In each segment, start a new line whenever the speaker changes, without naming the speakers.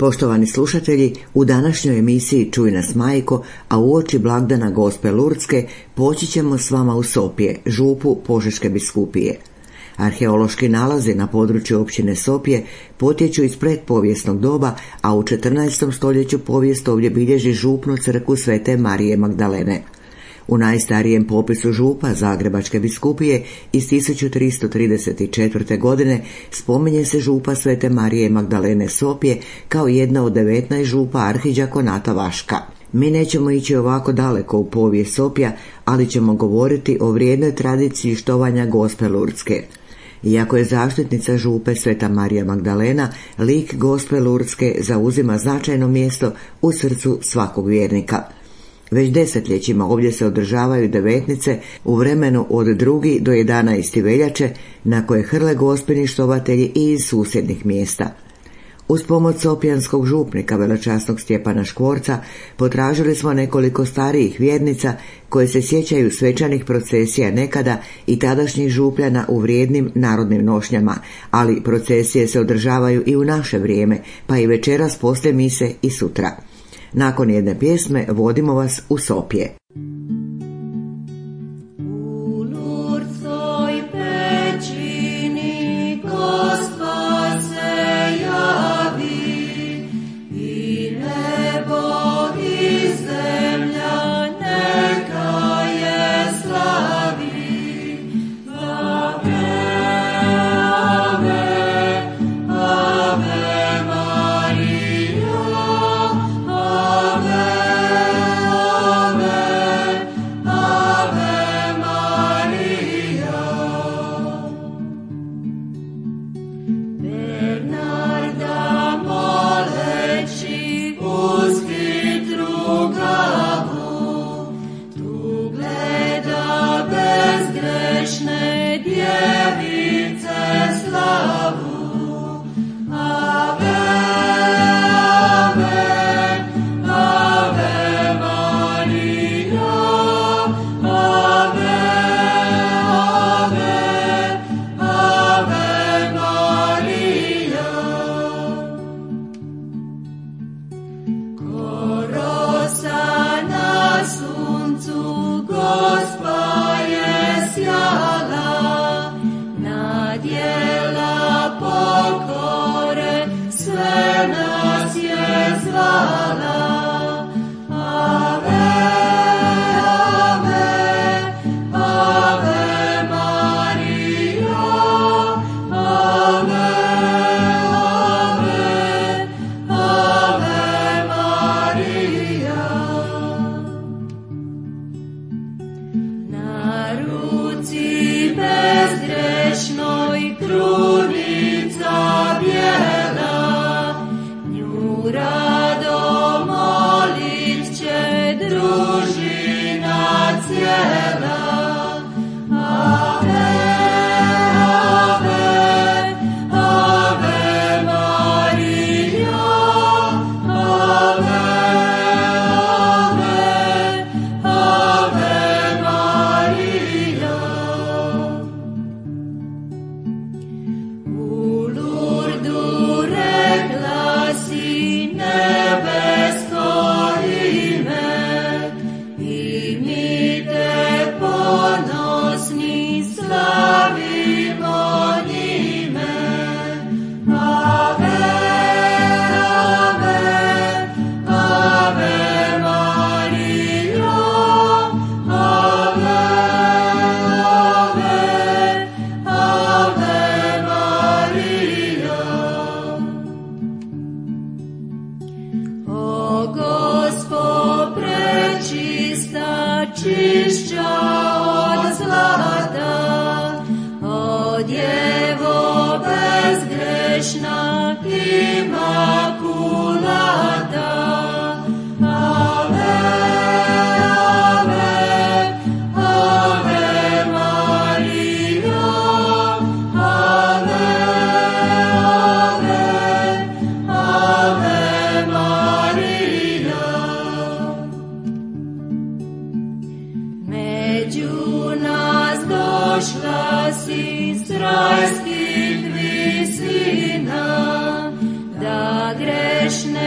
Poštovani slušatelji, u današnjoj emisiji Čuj nas majko, a uoči blagdana Gospe Lurdske, poći ćemo s vama u Sopje, župu Požeške biskupije. Arheološki nalazi na području općine Sopje potječu iz predpovijesnog doba, a u 14. stoljeću povijest ovdje bilježi župnu crkvu Svete Marije Magdalene. U najstarijem popisu župa Zagrebačke biskupije iz 1334. godine spominje se župa Svete Marije Magdalene Sopje kao jedna od 19 župa arhidžakonata Vaška. Mi nećemo ići ovako daleko u povijest Sopja, ali ćemo govoriti o vrijednoj tradiciji štovanja Gospe Lurdske. Iako je zaštitnica župe Sveta Marija Magdalena, lik Gospe Lurdske zauzima značajno mjesto u srcu svakog vjernika. Već desetljećima ovdje se održavaju devetnice u vremenu od 2. do 11. veljače, na koje hrle gospini štovatelji i iz susjednih mjesta. Uz pomoć sopjanskog župnika velečasnog Stjepana Škvorca potražili smo nekoliko starijih vjernica koje se sjećaju svečanih procesija nekada i tadašnjih župljana u vrijednim narodnim nošnjama, ali procesije se održavaju i u naše vrijeme, pa i večeras poslije mise i sutra. Nakon jedne pjesme vodimo vas u Sopje.
rajskih visina, da grešne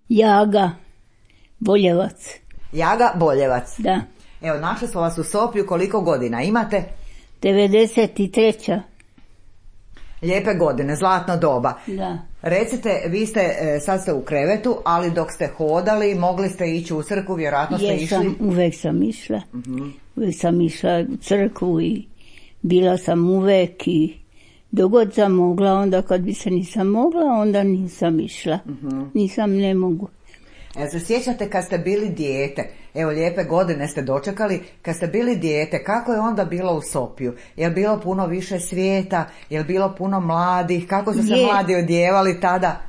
Jaga Boljevac.
Jaga Boljevac.
Da.
Evo, našli smo vas u Sopju, koliko godina imate?
93.
Lijepe godine, zlatno doba.
Da.
Recite, vi ste, sad ste u krevetu, ali dok ste hodali, mogli ste ići u crkvu, vjerojatno ste išli?
Uvek sam išla. Uvek sam išla u crkvu i bila sam uvek i dogod sam mogla, onda kad bi se nisam mogla, onda nisam išla. Nisam, ne mogu.
Se sjećate kad ste bili dijete, evo lijepe godine ste dočekali, kad ste bili dijete, kako je onda bilo u Sopju? Je li bilo puno više svijeta? Je li bilo puno mladih? Kako su se mladi odjevali tada?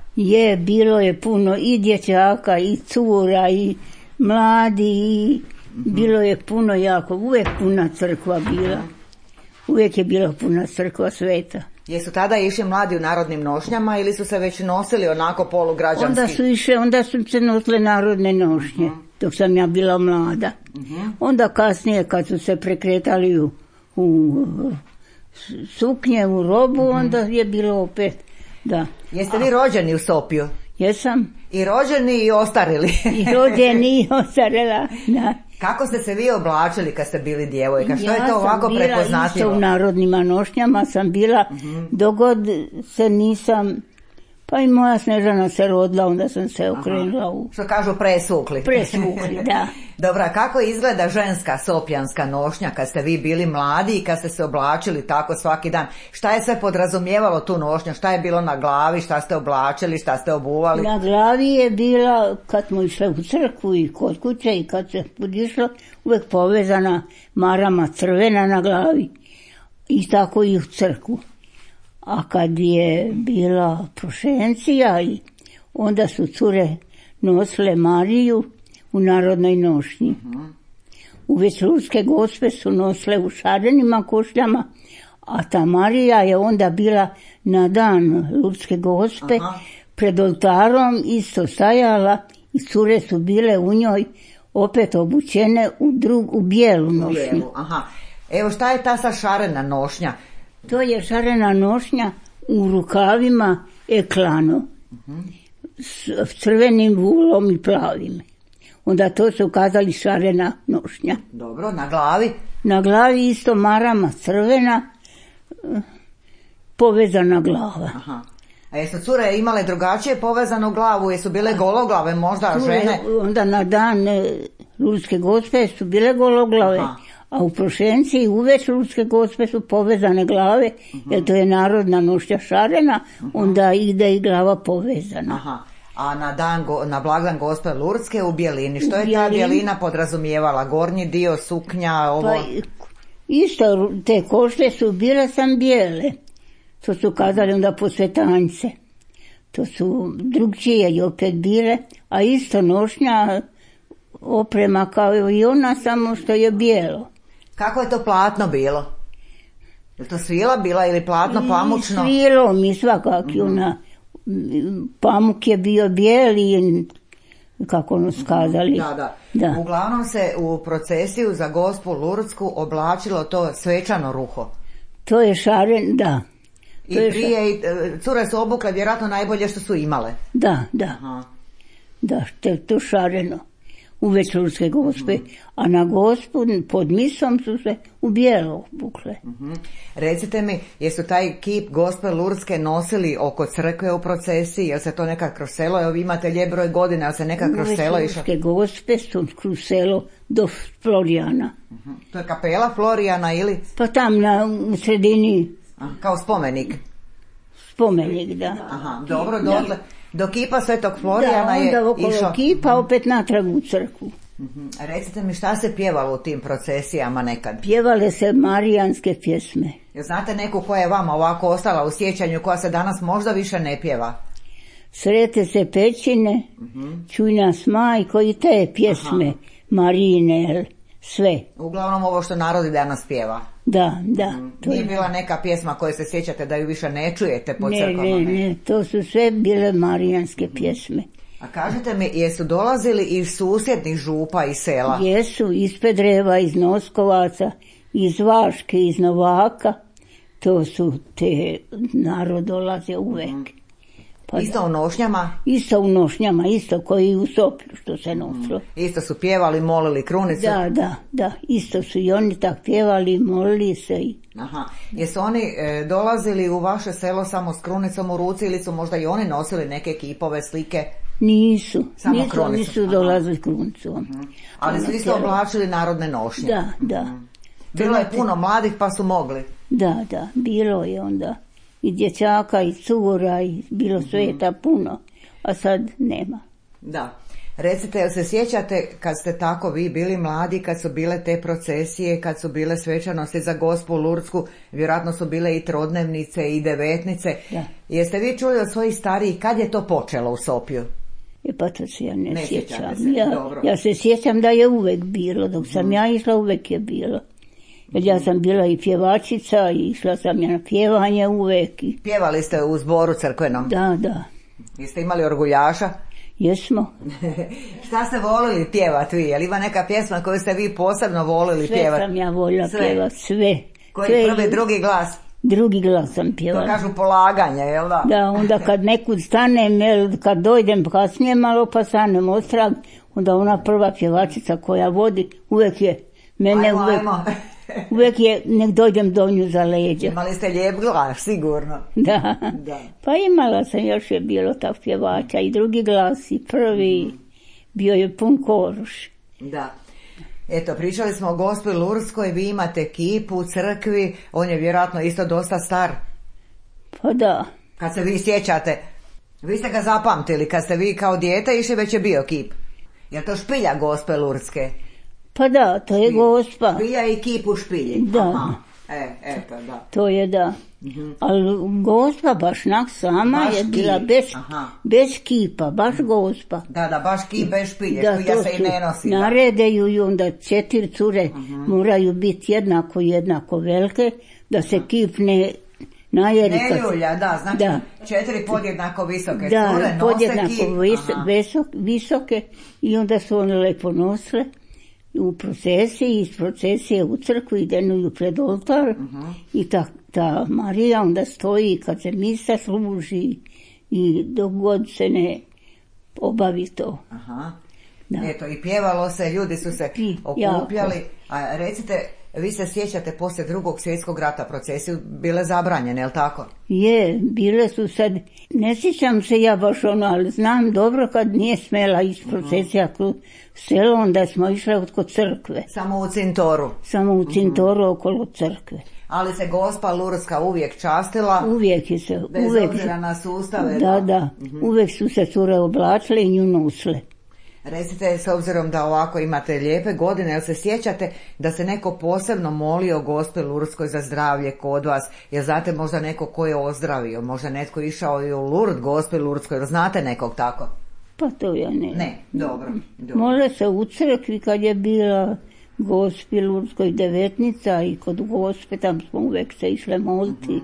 Bilo je puno i dječaka i cura i mladi i bilo je puno jako, uvijek puna crkva bila. Uvijek je bila puna crkva sveta.
Jesu tada išli mladi u narodnim nošnjama ili su se već nosili onako polugrađanski?
Onda su se nosile narodne nošnje, dok sam ja bila mlada. Onda kasnije kad su se prekretali u suknje, u robu, onda je bilo opet, da.
Jeste vi rođeni u Sopju?
Jesam.
I rođeni i ostarili?
I rođeni i ostarila, da.
Kako ste se vi oblačili kad ste bili djevojka? Što je to ovako prepoznatljivo?
Ja sam bila isto u narodnima nošnjama, sam bila, dogod se nisam, pa i moja Snežana se rodila, onda sam se okrenula u...
Što kažu, presvukli.
Presvukli, da.
Dobro, a kako izgleda ženska sopjanska nošnja kad ste vi bili mladi i kad ste se oblačili tako svaki dan? Šta je sve podrazumijevalo tu nošnju? Šta je bilo na glavi? Šta ste oblačili? Šta ste obuvali?
Na glavi je bila, kad smo išle u crkvu i kod kuće i kad se podišlo, uvijek povezana marama crvena na glavi. I tako i u crkvu. A kad je bila prošencija, onda su cure nosile Mariju u narodnoj nošnji. U Veslurske gospe su nosile u šarenima košljama, a ta Marija je onda bila na dan Lurske gospe pred oltarom isto stajala i cure su bile u njoj opet obučene u bijelu nošnju.
Evo, šta je ta sa šarena nošnja?
To je šarena nošnja u rukavima eklano, s crvenim vulom i plavim. Onda to su kazali šarena nošnja.
Dobro, na glavi?
Na glavi isto marama crvena, povezana glava.
Aha. A jesu cure imale drugačije povezanu glavu, jesu bile gologlave možda žene?
Onda na dan Lurdske gospe su bile gologlave, a u Prošenci uveč Lurdske gospe su povezane glave, jer to je narodna nošnja šarena, onda ide i glava povezana.
Aha. A na blagdan Gospe Lurdske u bijelini. Što je ta bijelina podrazumijevala? Gornji dio, suknja, ovo?
Pa, isto te košlje su bile sam bijele. To su kazali onda posvetanjce. To su drugčije i opet bile, a isto nošnja, oprema kao i ona, samo što je bijelo.
Kako je to platno bilo? Je to svila bila ili platno pamučno?
Svilo mi svakaki, ona pamuk je bio bijeli, kako ono skazali.
Da. Uglavnom se u procesiju za Gospu Lurdsku oblačilo to svečano ruho.
To je šaren, da.
I prije cure su obukle vjerojatno najbolje što su imale.
Da. Da, to šareno. Uveč Lurdske gospe, a na Gospu pod misom su se u bijelo obukle.
Recite mi, jesu taj kip Gospe Lurdske nosili oko crkve u procesiji, jel se to nekak kroz selo, evo vi imate lijep broj godina, jel se nekak kroz selo išlo?
Lurdske gospe su kroz selo do Florijana.
To je kapela Florijana ili?
Pa tam u sredini.
Kao spomenik?
Spomenik, da.
Aha, dobro, dotle. Do kipa Svetog Florijana je išao.
Da, onda okolo kipa, opet natrag u crkvu.
Recite mi, šta se pjevalo u tim procesijama nekad?
Pjevale se marijanske pjesme.
Jel znate neku koja je vama ovako ostala u sjećanju, koja se danas možda više ne pjeva?
Srete se pećine, čuj nas majko i te pjesme, Marijine, sve.
Uglavnom ovo što narod danas pjeva.
Da.
Nije bila neka pjesma koju se sjećate da ju više ne čujete po crkvama?
Ne, to su sve bile marijanske pjesme.
A kažete mi, jesu dolazili iz susjednih župa i sela?
Jesu, iz Pedreva, iz Noskovaca, iz Vaške, iz Novaka. To su te narod dolaze uvek.
Pa isto u nošnjama?
Isto u nošnjama, isto koji u soplju što se nosilo.
Isto su pjevali, molili krunicu?
Da, isto su i oni tak pjevali, molili se.
Aha, jesu oni dolazili u vaše selo samo s krunicom u ruci ili su možda i oni nosili neke kipove, slike?
Nisu dolazili s krunicom.
Ali su isto oblačili narodne nošnje?
Da.
Bilo je puno mladih pa su mogli?
Da, bilo je onda. I dječaka i cura i bilo sveta puno, a sad nema.
Da. Recite, jel se sjećate kad ste tako vi bili mladi, kad su bile te procesije, kad su bile svečanosti za Gospu Lurdsku, vjerojatno su bile i trodnevnice i devetnice. Da. Jeste vi čuli od svojih starijih kad je to počelo u Sopju?
Pa to se ja ne sjećam. Ja se sjećam da je uvek bilo, dok sam ja išla uvek je bilo. Jer ja sam bila i pjevačica i išla sam ja na pjevanje uvek.
Pjevali ste u zboru crkvenom?
Da.
Jeste imali orguljaša?
Jesmo.
Šta ste volili pjevati vi? Je li ima neka pjesma koju ste vi posebno volili pjevati?
Sve sam ja volila pjevati, sve.
Koji prvi, drugi glas?
Drugi glas sam pjevala.
To kažu polaganje, jel da?
Da, onda kad nekud stanem, kad dojdem kasnije malo pa stanem ostrag, onda ona prva pjevačica koja vodi uvek je mene uvek je, nek dojdem do nju za leđa.
Imali ste lijep glas, sigurno.
Da. Pa imala sam, još je bilo ta pjevača i drugi glas i prvi, bio je pun koruš.
Da. Eto, pričali smo o Gospi Lurdskoj, vi imate kip u crkvi, on je vjerojatno isto dosta star.
Pa da.
Kad se vi sjećate, vi ste ga zapamtili, kad ste vi kao dijete išli već je bio kip. Je to špilja Gospe Lurdske?
Pa da, to je Gospa.
Špilja i kip u špilji.
Da.
Eto, da.
To je da. Ali Gospa baš sama je bila bez kipa, baš Gospa.
Da, baš kip bez špilje, špilja se i ne nosi.
Naredeju i onda 4 cure moraju biti jednako velike, da se kip ne najeri.
Ne ljulja, da, znači 4 podjednako visoke cure nose kip.
Visoke i onda su one lepo nosile u procesiji, iz procesije u crkvu idenuju pred oltar i ta Marija onda stoji kad se misa služi i dok god se ne obavi to.
Eto, i pjevalo se, ljudi su se okupljali. A recite, Vi se sjećate poslije Drugog svjetskog rata procesije bile zabranjene, je li tako?
Je, bile su sad, ne sjećam se ja baš ali znam dobro kad nije smjela iz procesija kroz selo, onda smo išle kod crkve.
Samo u cintoru?
Samo u cintoru okolo crkve.
Ali se Gospa Lurdska uvijek častila?
Uvijek je se.
Bez obzira na sustave?
Da. Uvijek su se cure oblačile i nju nosile.
Recite, s obzirom da ovako imate lijepe godine, jel se sjećate da se neko posebno molio Gospi Lurdskoj za zdravlje kod vas? Jel znate možda neko ko je ozdravio? Možda netko išao i u Lurd Gospi Lurdskoj? Jel znate nekog tako?
Pa to ja ne.
Ne, dobro.
Može se u crkvi kad je bila Gospi Lurdskoj devetnica i kod Gospe, tam smo uvek se išle moliti.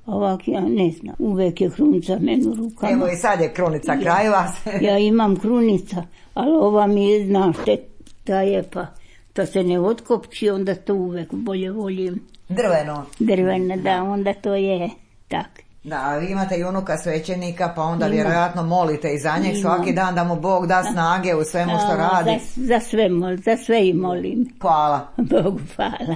Ovak ja ne znam, uvek je krunica meni u rukama.
Evo i sad je krunica kraj vas.
Ja imam krunica, ali ova mi je, znašte, ta je pa, ta se ne otkopči, onda to uvek bolje volim. Drvena, da, onda to je tak.
Da, a vi imate i unuka svećenika, pa onda vjerojatno molite i za njeg svaki dan da mu Bog da snage u svemu što radi.
Za sve i molim.
Hvala.
Bogu hvala.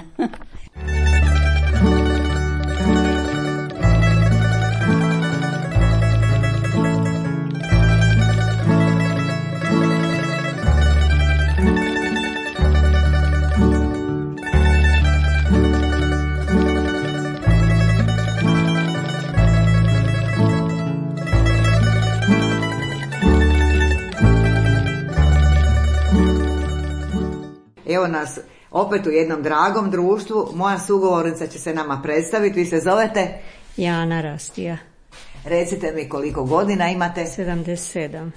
Evo nas opet u jednom dragom društvu. Moja sugovornica će se nama predstaviti. Vi se zovete?
Jana Rastija.
Recite mi koliko godina imate?
77.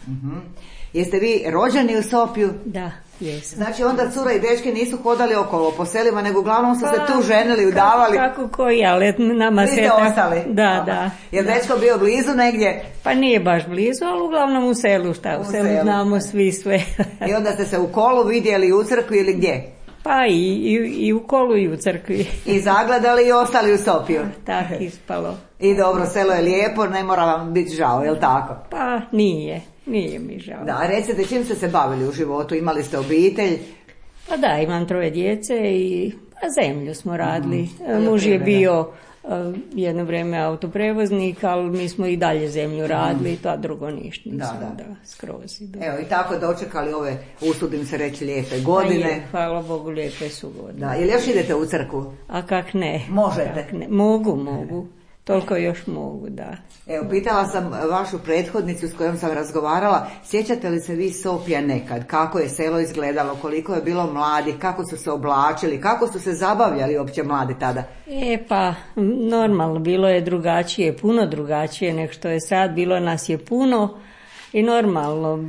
Jeste vi rođeni u Sopju?
Da, jesam.
Znači onda cura i dečki nisu hodali okolo po selima, nego uglavnom su se tu ženili, udavali.
Kako koji, ali nama se...
Vi ste ostali?
Da.
Je dečko bio blizu negdje?
Pa nije baš blizu, ali uglavnom u selu, u selu znamo svi sve.
I onda ste se u kolu vidjeli u crkvi ili gdje?
Pa i u kolu i u crkvi.
I zagledali i ostali u Sopju?
Tako ispalo.
I dobro, selo je lijepo, ne mora vam biti žao, je li tako?
Pa nije mi žao.
Da, recite, čim ste se bavili u životu, imali ste obitelj?
Pa da, imam 3 djece i zemlju smo radili. Muž je bio jedno vrijeme autoprevoznik, ali mi smo i dalje zemlju radili, to drugo ništa nismo, da, skroz.
Evo i tako dočekali ove, usudim se reći, lijepe godine.
Je, hvala Bogu, lijepe su godine.
Da, ili još idete u crkvu?
A kak ne?
Možete?
Kak ne? Mogu. Toliko još mogu, da.
Evo, pitala sam vašu prethodnicu s kojom sam razgovarala, sjećate li se vi Sopja nekad? Kako je selo izgledalo, koliko je bilo mladi, kako su se oblačili, kako su se zabavljali uopće mladi tada?
Pa, normalno, bilo je drugačije, puno drugačije nego što je sad, bilo nas je puno i normalno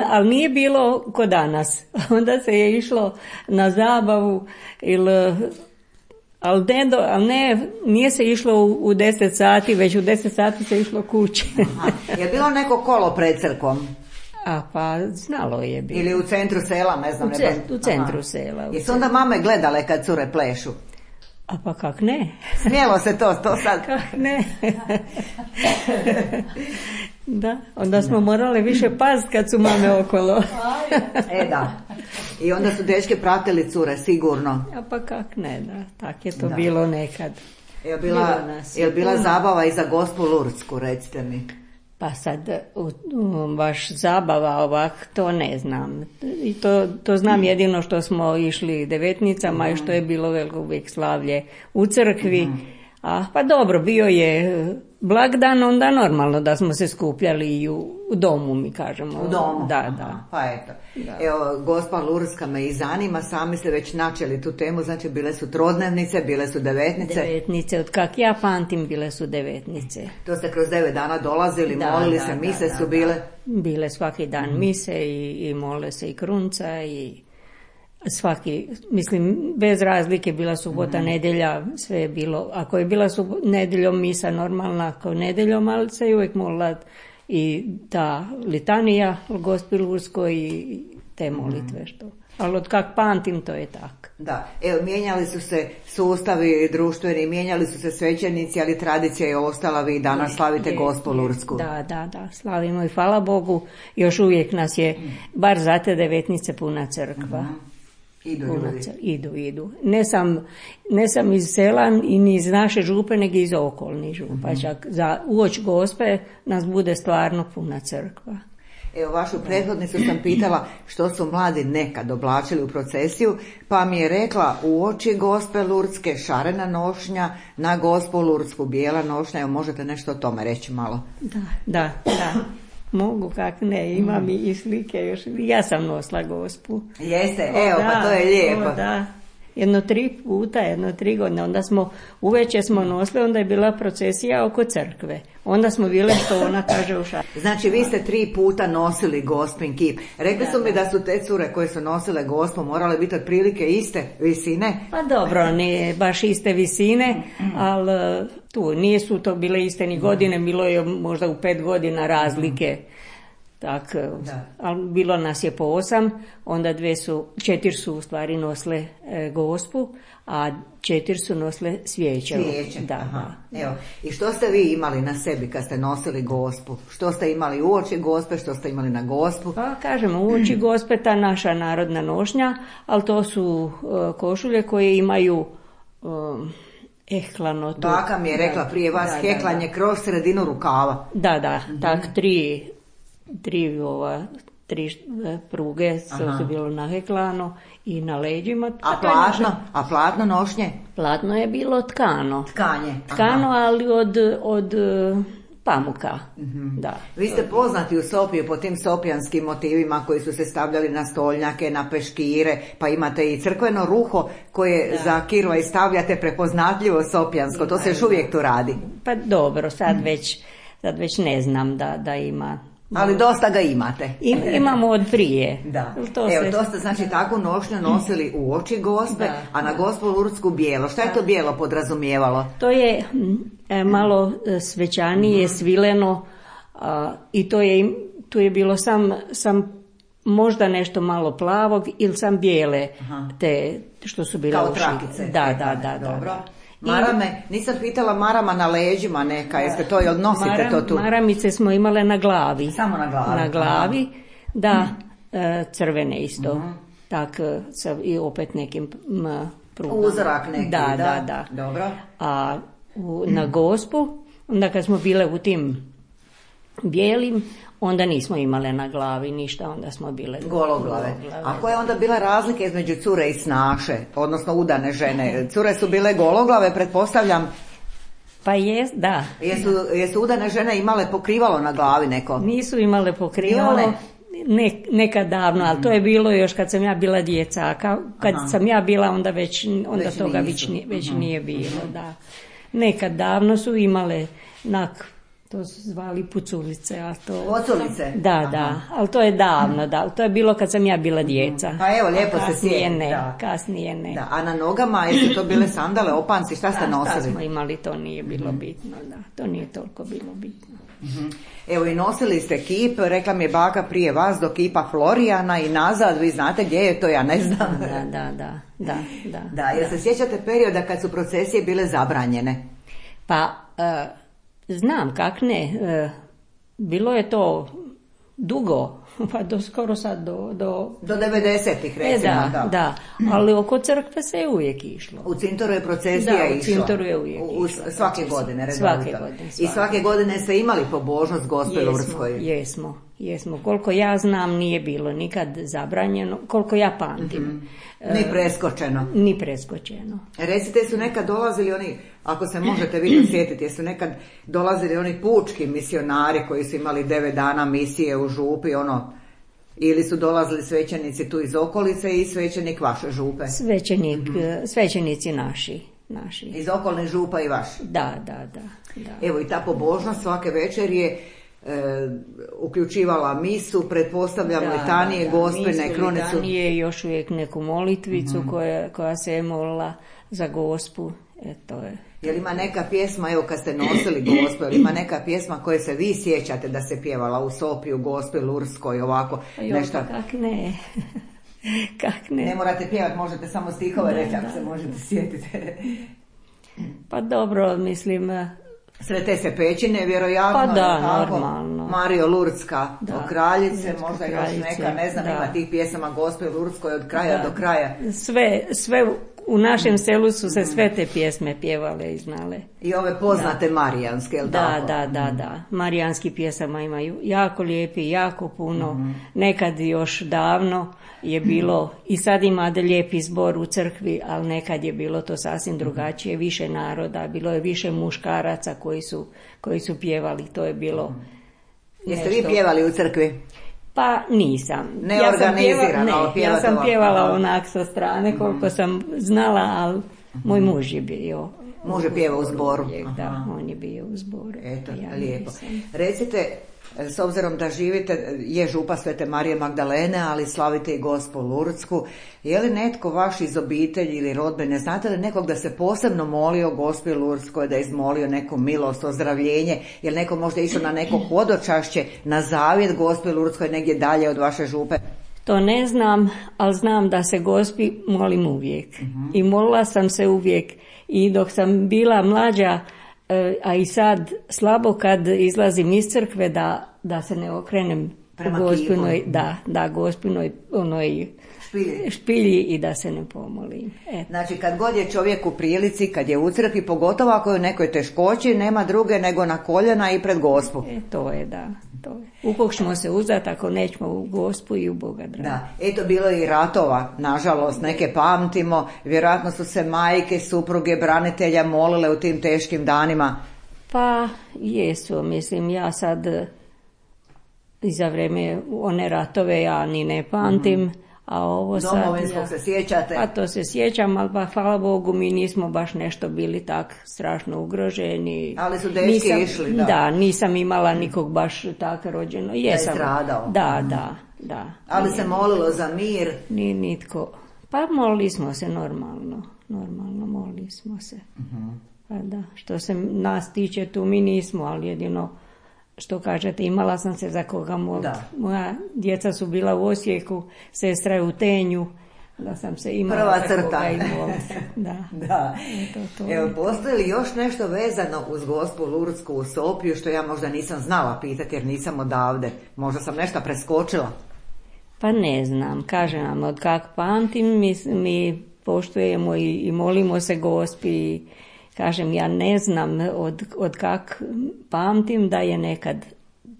ali nije bilo ko danas. Onda se je išlo na zabavu ili... Ali nije se išlo u 10 sati, već u 10 sati se išlo kući.
Je bilo neko kolo pred crkvom?
Pa znalo je bilo.
Ili u centru sela, ne znam.
U centru sela.
Jesu onda mame gledale kad cure plešu?
Pa kak ne?
Smjelo se to sad?
Kak ne? Da, onda smo morali više paziti kad su mame okolo.
Da. I onda su dečke pratili cure, sigurno.
Pa kak ne, da, tak je to bilo nekad.
Je bila zabava i za Gospu Lurdsku, recite mi?
Pa sad, baš zabava ovak, to ne znam. I to znam jedino što smo išli devetnicama i što je bilo veliko uvijek slavlje u crkvi. Pa dobro, bio je blagdan, onda normalno da smo se skupljali i u domu, mi kažemo.
U domu?
Da.
Pa eto. Da. Evo, Gospa Lurdska me i zanima, sami ste već načeli tu temu, znači bile su trodnevnice, bile su devetnice.
Devetnice, od kak ja pamtim, bile su devetnice.
To ste kroz 9 dana dolazili, molili se, mise su bile?
Bile svaki dan mise i mole se i krunca i... Svaki, mislim, bez razlike, bila subota, nedjelja, sve je bilo. Ako je bila nedjeljom misa normalna, ako nedjeljom, ali se je uvijek molila i ta litanija u Gospi Lurdskoj i te molitve što. Ali od kak pamtim, to je tak.
Da, evo, mijenjali su se sustavi društveni, mijenjali su se svećenici, ali tradicija je ostala, vi danas slavite Gospu Lurdsku.
Da, slavimo i hvala Bogu, još uvijek nas je, bar za te devetnice, puna crkva. Idu. Ne sam iz sela i ni iz naše župe, nego iz okolnih župa. Čak za uoč Gospe nas bude stvarno puna crkva.
Evo, vašu prethodnicu sam pitala što su mladi nekad oblačili u procesiju, pa mi je rekla uoči Gospe Lurdske šarena nošnja, na Gospu Lurdsku bijela nošnja. Evo, možete nešto o tome reći malo?
Da. Mogu, kak ne, imam i slike još. Ja sam nosila Gospu.
Jeste, evo, pa to je lijepo.
Da. 3 godine. Onda smo, uveče smo nosili, onda je bila procesija oko crkve. Onda smo bile, što ona kaže, u šaru.
Znači, vi ste 3 puta nosili Gospin kip. Rekli su mi da su te cure koje su nosile Gospu morale biti otprilike iste visine.
Pa dobro, ne baš iste visine, ali tu nisu to bile iste ni godine, bilo je možda u 5 godina razlike. Tak, ali bilo nas je po 8, onda 4 su u stvari nosile Gospu, a 4 su nosile svijeće. Da.
Evo, i što ste vi imali na sebi kad ste nosili Gospu? Što ste imali uoči Gospe, što ste imali na Gospu?
Pa kažemo, uoči Gospe ta naša narodna nošnja, ali to su košulje koje imaju heklano.
Baka mi je rekla prije vas heklanje kroz sredinu rukava.
Da, tak 3 pruge su bilo naheklano i na leđima.
A platno nošnje?
Platno je bilo tkano.
Tkano,
ali od pamuka. Da.
Vi ste poznati u Sopiju po tim sopijanskim motivima koji su se stavljali na stolnjake, na peškire, pa imate i crkveno ruho koje za kirvaj stavljate, prepoznatljivo sopijansko. To se još uvijek tu radi.
Pa dobro, sad već ne znam da ima.
Ali dosta ga imate.
Imamo od prije.
Da. To ste znači takvu nošnju nosili u oči Gospe, a na Gospu Lurdsku bijelo. Šta je to bijelo podrazumijevalo?
To je malo svečanije, svileno, i tu je bilo sam možda nešto malo plavog ili sam bijele, te što su bile
kao trakice.
Da.
Dobro. Marame, nisam pitala marama na leđima neka, jeste to, jel nosite to tu?
Maramice smo imale na glavi.
Samo na glavi?
Na glavi, da, crvene isto. Tak, i opet nekim prugama.
Uzorak neki,
da.
Dobro.
A na Gospu, onda kad smo bile u tim bijelim, onda nismo imale na glavi ništa, onda smo bile
gologlave. A koja je onda bila razlika između cure i snaše, odnosno udane žene? Cure su bile gologlave, pretpostavljam.
Pa da.
Jesu udane žene imale pokrivalo na glavi neko?
Nisu imale pokrivalo. Nekad davno, ali to je bilo još kad sam ja bila djeca. Kad sam ja bila, onda toga već nije bilo. Da. Nekad davno su imale to su zvali puculice, a to...
Poculice?
Da, ali to je davno, to je bilo kad sam ja bila djeca.
Pa evo, lijepo se sjeti.
Kasnije ne.
Da, a na nogama, jesu to bile sandale, opanci, šta ste nosili?
Šta smo imali, to nije bilo bitno, to nije toliko bilo bitno.
Evo, i nosili ste kip, rekla mi je baka prije vas, do kipa Florijana i nazad, vi znate gdje je to, ja ne znam.
Da.
Jel se sjećate perioda kad su procesije bile zabranjene?
Pa... Znam, kak ne. Bilo je to dugo, pa skoro sad do
90-ih, recimo.
Da. Ali oko crkve se je uvijek išlo.
U Cintoru je procesija išla.
U Cintoru je uvijek išla.
Svake godine, redovito. I svake godine ste imali pobožnost Gospe Lurdskoj.
Jesmo. Koliko ja znam, nije bilo nikad zabranjeno, koliko ja pamtim.
Ni preskočeno. Recite, su nekad dolazili oni, ako se možete vi sjetiti, jesu nekad dolazili oni pučki misionari koji su imali 9 dana misije u župi, ili su dolazili svećenici tu iz okolice i svećenik vaše župe?
Svećenici naši.
Iz okolnih župa i vaš?
Da.
Evo, i ta pobožnost svake večer je uključivala misu, pretpostavljam litanije, Gospine, krunicu.
Misu, litanije, još uvijek neku molitvicu koja se je molila za Gospu.
Je li ima neka pjesma, evo kad ste nosili Gospu, je li ima neka pjesma koje se vi sjećate da se pjevala u Sopiju, Gospi Lurdskoj, ovako nešto?
Kak ne.
Ne morate pjevati, možete samo stihove reći ako se možete sjetiti.
Pa dobro, mislim,
Sve te se pećine, vjerojatno.
Pa da,
tako,
normalno.
Mario Lurdska, od Kraljice, možda
Kraljice,
još neka, ne znam,
da.
ima tih pjesama Gospe Lurdskoj od kraja do kraja.
Sve u našem selu su se sve te pjesme pjevale i znale.
I ove poznate marijanske, jel tako?
Da. Marijanski pjesama imaju jako lijepi, jako puno. Nekad još davno je bilo, i sad ima lijepi zbor u crkvi, ali nekad je bilo to sasvim drugačije, više naroda, bilo je više muškaraca koji su pjevali, to je bilo
Jeste vi pjevali u crkvi?
Pa nisam.
Neorganizirano,
ja sam pjevala onak sa strane koliko sam znala, ali moj muž je bio.
Muž je pjevao u zboru.
Da, on je bio u zboru.
Eto,
ja
lijepo.
Nisam.
Recite, s obzirom da živite, je župa Svete Marije Magdalene, ali slavite i Gospu Lurdsku, je li netko vaš iz obitelji ili rodbine, znate li nekog da se posebno molio Gospi Lurdskoj, da je izmolio neku milost, ozdravljenje, je li neko možda išao na neko hodočašće, na zavjet Gospi Lurdskoj negdje dalje od vaše župe?
To ne znam, ali znam da se Gospi molim uvijek. I molila sam se uvijek. I dok sam bila mlađa, a i sad slabo kad izlazim iz crkve da se ne okrenem Gospinoj, Gospinoj onoj špilji i da se ne pomolim.
Znači kad god je čovjek u prilici, kad je u crkvi, pogotovo ako je u nekoj teškoći, nema druge nego na koljena i pred Gospu.
To je. U kog ćemo se uzdati ako nećemo u Gospu i u Boga draga.
Da, eto bilo je i ratova, nažalost, neke pamtimo, vjerojatno su se majke, supruge, branitelja molile u tim teškim danima.
Pa jesu, mislim, ja sad i za vrijeme one ratove ja ni ne pamtim, a ovo sad...
Domovinskog se sjećate?
A to se sjećam, ali pa hvala Bogu mi nismo baš nešto bili tak strašno ugroženi.
Ali su dečki išli, da.
Da, nisam imala nikog baš tako rođeno. Jesam.
Da je stradao.
Da.
Ali se molilo za mir?
Ni nitko. Pa molili smo se normalno molili smo se. Pa da, što se nas tiče tu mi nismo, ali jedino što kažete, imala sam se za koga moliti. Moja djeca su bila u Osijeku, sestra je u Tenju, da sam se imala
prva
za
crta.
koga i moliti. Da.
Evo, postoji li još nešto vezano uz Gospu Lurdsku u Sopju, što ja možda nisam znala pitati jer nisam odavde? Možda sam nešto preskočila?
Pa ne znam, kažem vam, od kak pamtim, mi poštujemo i molimo se Gospi. Kažem, ja ne znam od kak pamtim da je nekad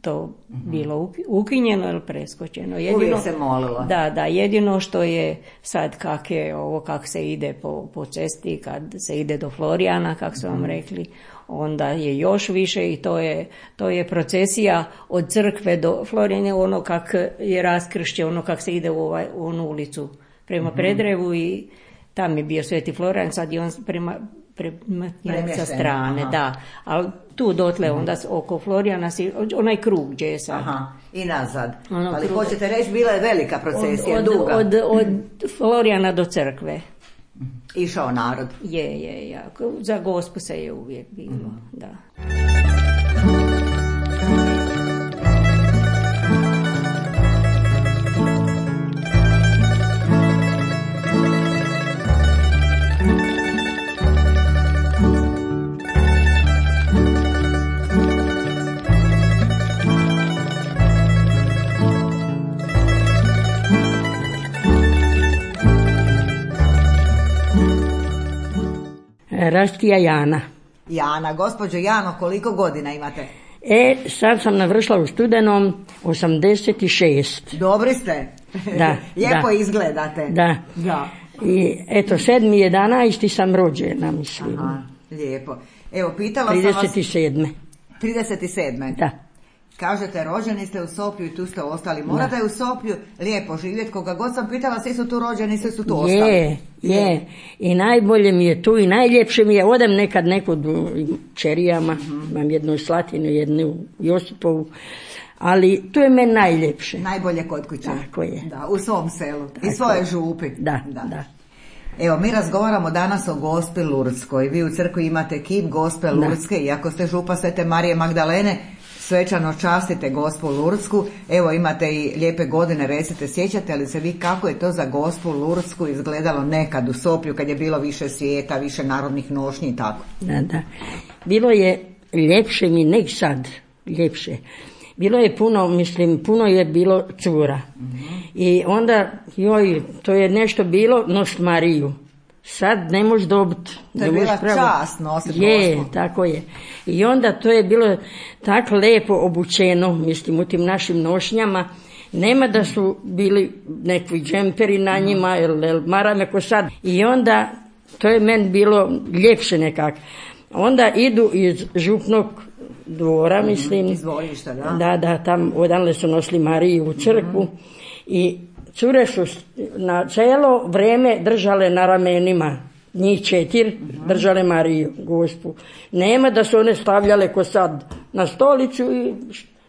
to bilo ukinjeno ili preskočeno.
Uvijek se molilo.
Da, jedino što je sad kak se ide po cesti, kad se ide do Florijana, kak su vam rekli, onda je još više i to je procesija od crkve do Florijane, ono kak je raskršće, ono kak se ide u onu ulicu prema Predrevu i tam je bio Sveti Florijan, sad je on prema sa strane, da. Ali tu dotle onda oko Florijana onaj krug gdje je sad.
I nazad. Ali hoćete reći, bila je velika procesija, duga.
Od Florijana do crkve.
Išao narod.
Je. Za Gospu se je uvijek bilo, da.
Raštija Jana.
Jana, gospođo Jano, koliko godina imate?
Sad sam navršila u studenom 86.
Dobri ste.
Da.
Lijepo izgledate.
Da. I eto, 7.11. sam rođena, mislim.
Lijepo. Evo, pitala sam vas... 37. Da. Kažete, rođeni ste u Sopju i tu ste ostali. Morate u Sopju lijepo živjeti. Koga god sam pitala, svi su tu rođeni, svi su tu ostali.
Je. I najbolje mi je tu i najljepše mi je. Odem nekad nekud u Čerijama. Imam jednu u Slatinu, jednu u Josipovu. Ali tu je meni najljepše.
Najbolje kod kuće.
Tako je.
Da, u svom selu. I svoje župi.
Da.
Evo, mi razgovaramo danas o Gospi Lurdskoj. Vi u crkvi imate kip Gospe Lurdske, iako ste župa Svete Marije Magdalene, svečano častite Gospu Lurdsku. Evo, imate i lijepe godine, recite, sjećate li se vi kako je to za Gospu Lurdsku izgledalo nekad u Sopju kad je bilo više svijeta, više narodnih nošnji i tako?
Da. Bilo je ljepše mi nek sad, ljepše. Bilo je puno je bilo cura. I onda, to je nešto bilo, nosit Mariju. Sad ne možeš dobiti.
To je bila čast nositi Gospu.
Tako je. I onda to je bilo tako lijepo obučeno, u tim našim nošnjama. Nema da su bili nekvi džemperi na njima, marame ko sad. I onda, to je meni bilo ljepše nekako. Onda idu iz župnog dvora,
Iz dvorišta, da?
Da, tam odanle su nosili Mariju u crkvu i cure su na cijelo vrijeme držale na ramenima, njih 4 držale Mariju, Gospu. Nema da su one stavljale ko sad na stolicu i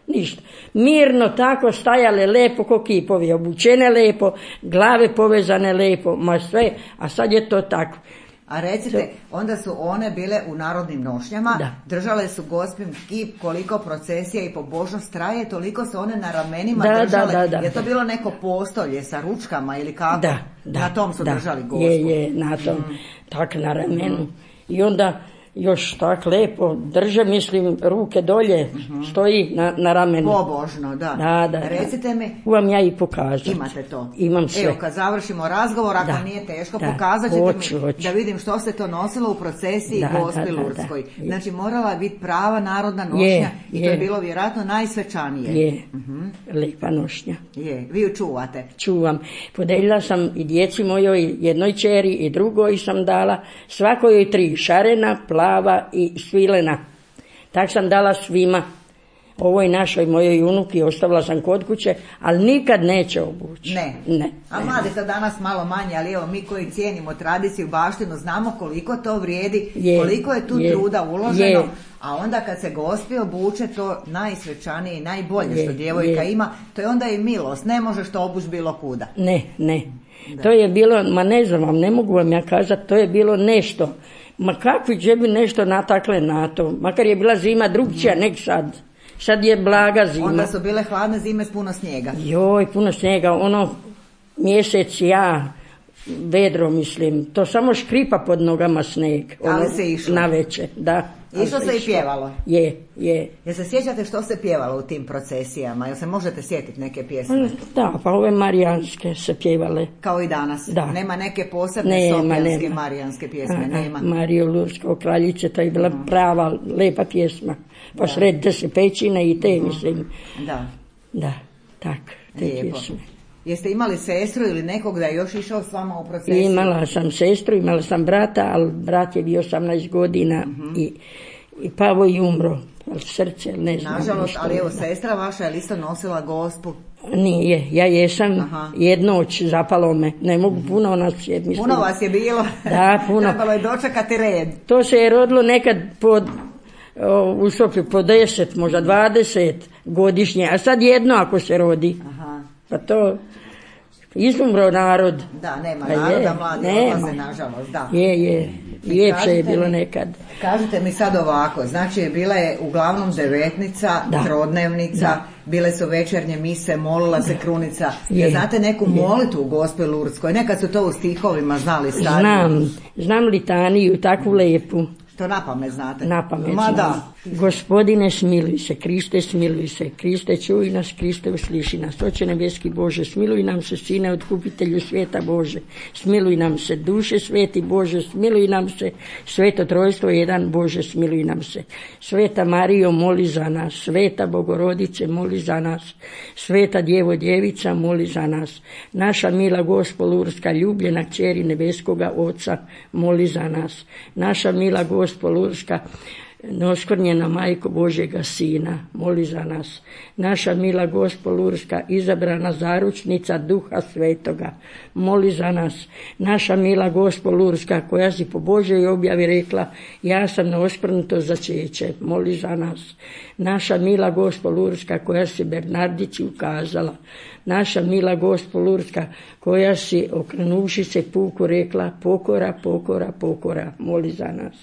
ništa. Mirno tako stajale lepo ko kipovi, obučene lepo, glave povezane lepo, ma sve, a sad je to tako.
A recite, onda su one bile u narodnim nošnjama, držale su Gospin kip, koliko procesija i pobožnost traje, toliko su one na ramenima držale. Da. Je to bilo neko postolje sa ručkama ili kako?
Da.
Na tom su držali Gospu.
Je, na tom, tak na ramenu. I onda još tak lepo drže, ruke dolje, stoji na ramenu.
Pobožno, da.
Da.
Recite mi...
Vam ja i pokažem.
Imate to?
Imam sve.
Evo, kad završimo razgovor, ako nije teško, pokazat ćete mi da vidim što se to nosilo u procesiji Gospi Lurdskoj. Znači, morala je biti prava narodna nošnja i to je bilo vjerojatno najsvečanije.
Je, lepa nošnja.
Je, vi ju čuvate?
Čuvam. Podelila sam i djeci mojoj, jednoj čeri i drugoj sam dala, svakoj 3, šarena, plava i svilena. Tak sam dala svima. Ovoj našoj mojoj unuki ostavila sam kod kuće, ali nikad neće obući. Ne.
A mladi sad danas malo manje, ali evo mi koji cijenimo tradiciju, baštinu, znamo koliko to vrijedi, koliko je tu truda uloženo, a onda kad se Gospi obuče, to najsvečanije i najbolje što djevojka ima, to je onda i milost, ne možeš to obući bilo kuda.
Ne. To je bilo, ne znam vam, ne mogu vam ja kazati, to je bilo nešto. Ma kakvi će bi nešto natakle na to, makar je bila zima drugčija nek sad. Sad je blaga zima.
Onda su bile hladne zime s puno snijega.
Puno snijega, mjesec vedro to samo škripa pod nogama snijeg.
Ali se išlo.
Na večer, da.
Išlo se i pjevalo.
Je.
Jel se sjećate što se pjevalo u tim procesijama? Jel se možete sjetiti neke pjesme?
Da, pa ove marijanske se pjevale.
Kao i danas?
Da.
Nema neke posebne sofijanske marijanske pjesme? Nema.
Mariju Lursko kraljice, to je bila prava, lepa pjesma. Pa sredite se pećine i te, Da, tak, te pjesme.
Jeste imali sestru ili nekog da je još išao s vama u procesiju?
Imala sam sestru, imala sam brata, ali brat je bio 18 godina i Pavo je umro. Srce, ne znam.
Nažalost, ali evo, sestra vaša je isto nosila Gospu?
Nije, ja jesam, jednoć zapalo me, ne mogu puno nas je.
Puno vas je bilo?
Da, puno.
Trebalo je dočekati red.
To se je rodilo nekad u sopi po 10, možda 20 godišnje, a sad jedno ako se rodi. Pa to izumro narod.
Da, nema naroda, mladi odlaze, nažalost, da.
Je. Ljepše je bilo nekad.
Kažite mi sad ovako, znači bila je uglavnom devetnica, trodnevnica, bile su večernje mise, molila se krunica. Znate neku molitvu u Gospi Lurdskoj? Nekad su to u stihovima znali stariji.
Znam litaniju, takvu lepu.
To napamet znate?
Napamet znam. Gospodine smiluj se, Kriste smiluj se, Kriste čuj nas, Kriste usliši nas. Oče nebeski Bože, smiluj nam se, Sine otkupitelju svijeta Bože, smiluj nam se, duše sveti Bože, smiluj nam se, Sveto trojstvo jedan Bože, smiluj nam se. Sveta Marijo, moli za nas, Sveta Bogorodice, moli za nas, Sveta Djevo Djevica, moli za nas. Naša mila Gospo Lurdska, ljubljena kćeri nebeskoga Oca, moli za nas. Naša mila Gospo Lurdska, noskornjena Majko Božjega Sina, moli za nas. Naša mila Gospo Lurdska, izabrana zaručnica Duha Svetoga, moli za nas. Naša mila Gospo Lurdska, koja si po Božjoj objavi rekla, ja sam neoskvrnuto začeće, moli za nas. Naša mila Gospo Lurdska, koja si Bernardici ukazala, naša mila Gospo Lurdska, koja si okrenuši se puku rekla, pokora, pokora, pokora, moli za nas.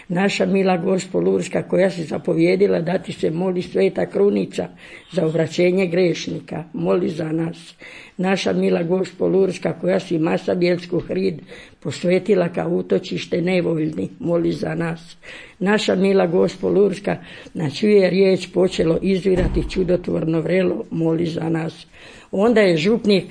Naša mila Gospo Gospo Lurska, koja si zapovjedila da ti se moli sveta krunica za obraćenje grešnika, moli za nas. Naša mila Gospo Lurska, koja si Masabjelsku hrid posvetila kao utočište nevoljni, moli za nas. Naša mila Gospo Lurska, na čiju je riječ počelo izvirati čudotvorno vrelo, moli za nas. Onda je župnik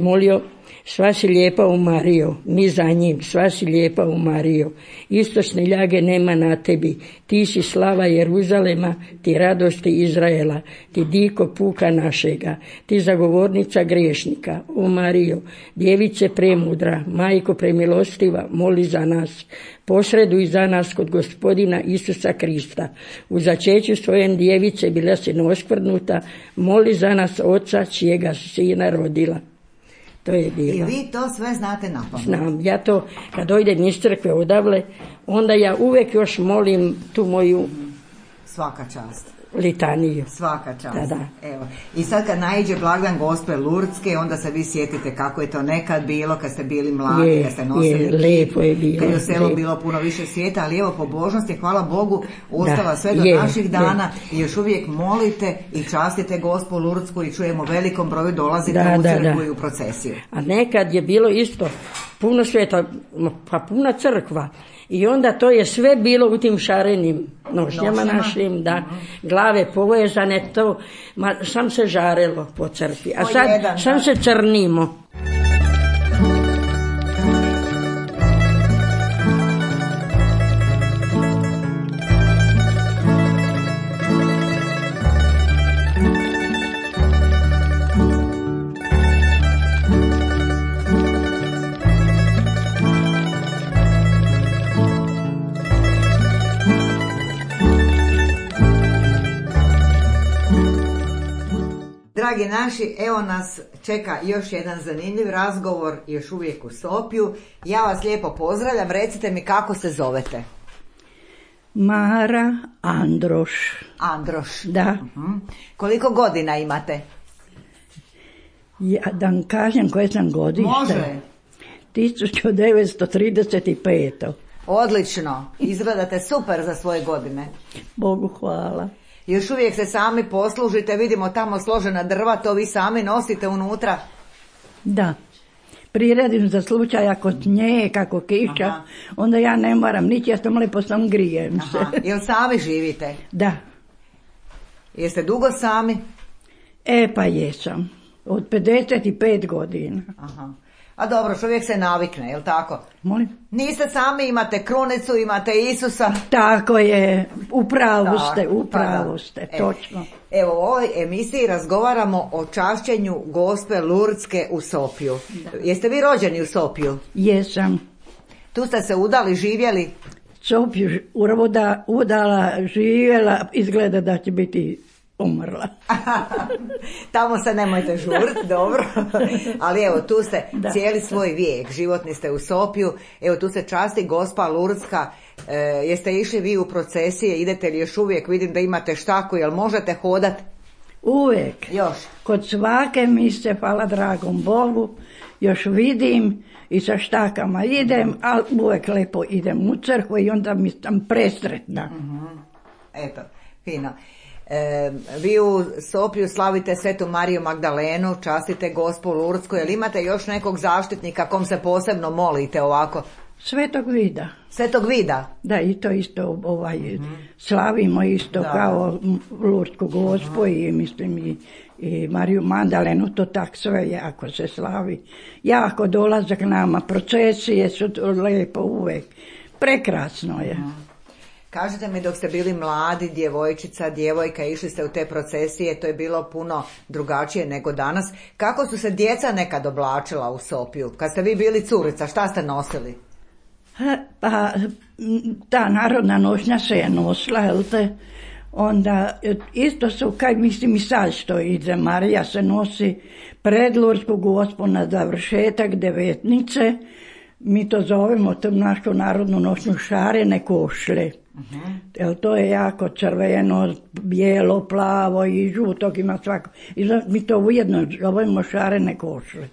molio: sva si lijepa u Marijo, mi za njim, sva si lijepa u Marijo. Istočne ljage nema na tebi, ti si slava Jeruzalema, ti radosti Izraela, ti diko puka našega, ti zagovornica grešnika, o Marijo, djevice premudra, majko premilostiva, moli za nas. Posreduj za nas kod Gospodina Isusa Krista. U začeću svojem djevice bila si noskvrnuta, moli za nas Oca čijega sina rodila. To je bilo.
I vi to sve znate na pamet?
Znam, ja to kad dojdem iz crkve odavle, onda ja uvijek još molim tu moju
Svaka čast.
litaniju.
Svaka čast.
Da.
Evo. I sad kad naiđe blagdan Gospe Lurdske, onda se vi sjetite kako je to nekad bilo, kad ste bili mladi, kad ste nosili
lijepo je bilo.
Kad je u selu bilo puno više svijeta, ali evo pobožnost je, hvala Bogu, ostala sve do naših dana i još uvijek molite i častite Gospu Lurdsku i čujemo velikom broju dolazite u crkvu i u procesiju.
A nekad je bilo isto puno svijeta, pa puna crkva. I onda to je sve bilo u tim šarenim nošnjama našim, da, glave povezane, to, sam se žarelo po crkvi, a sad sam se crnimo.
Dragi naši, evo nas čeka još jedan zanimljiv razgovor, još uvijek u Sopju. Ja vas lijepo pozdravljam, recite mi kako se zovete?
Mara Androš.
Androš.
Da.
Koliko godina imate?
Ja da vam kažem koje sam godište.
Može.
1935.
Odlično, izgledate super za svoje godine.
Bogu hvala.
Još uvijek se sami poslužite, vidimo tamo složena drva, to vi sami nosite unutra?
Da. Priredim za slučaj ako snijeg, ako kiša, onda ja ne moram nići, ja sam lepo sam grijem se.
Jel sami živite?
Da.
Jeste dugo sami?
Pa jesam. Od 55 godina.
Aha. A dobro, čovjek se navikne, jel tako?
Molim?
Niste sami, imate krunicu, imate Isusa.
Tako je, upravo ste, točno.
Evo, u ovoj emisiji razgovaramo o čašćenju Gospe Lurdske u Sopju. Da. Jeste vi rođeni u Sopju?
Jesam.
Tu ste se udali, živjeli?
Sopju udala, živjela, izgleda da će biti umrla.
Tamo se nemojte žurit, dobro. Ali evo, tu ste cijeli svoj vijek, životni ste u Sopju. Evo, tu se časti Gospa Lurdska. Jeste išli vi u procesije, idete li još uvijek? Vidim da imate štaku, jel možete hodat?
Uvijek.
Još?
Kod svake mise, hvala dragom Bogu, još vidim i sa štakama idem, ali uvijek lepo idem u crkvu i onda mi sam presretna.
Eto, fino. Vi u Sopju slavite Svetu Mariju Magdalenu, častite Gospu Lurdsku, jel imate još nekog zaštitnika kom se posebno molite ovako?
Svetog Vida.
Svetog Vida?
Da, i to isto slavimo isto kao Lurdsku Gospu i mislim i Mariju Magdalenu, to tak sve jako se slavi. Jako dolazak nama, procesije su lepo uvijek. Prekrasno je.
Kažete mi, dok ste bili mladi, djevojka, išli ste u te procesije, to je bilo puno drugačije nego danas. Kako su se djeca nekad oblačila u Sopju? Kad ste vi bili curica, šta ste nosili?
Pa, ta narodna nošnja se je nosila, jel te? Onda, isto su, kaj mislim i sad što ide, Marija se nosi pred Lurdsku Gospu na završetak devetnice. Mi to zovemo tu našu narodnu nošnju šarene košlje. Jer to je jako crveno, bijelo, plavo i žutog ima svako. I mi to ujedno zovemo šarene košlje.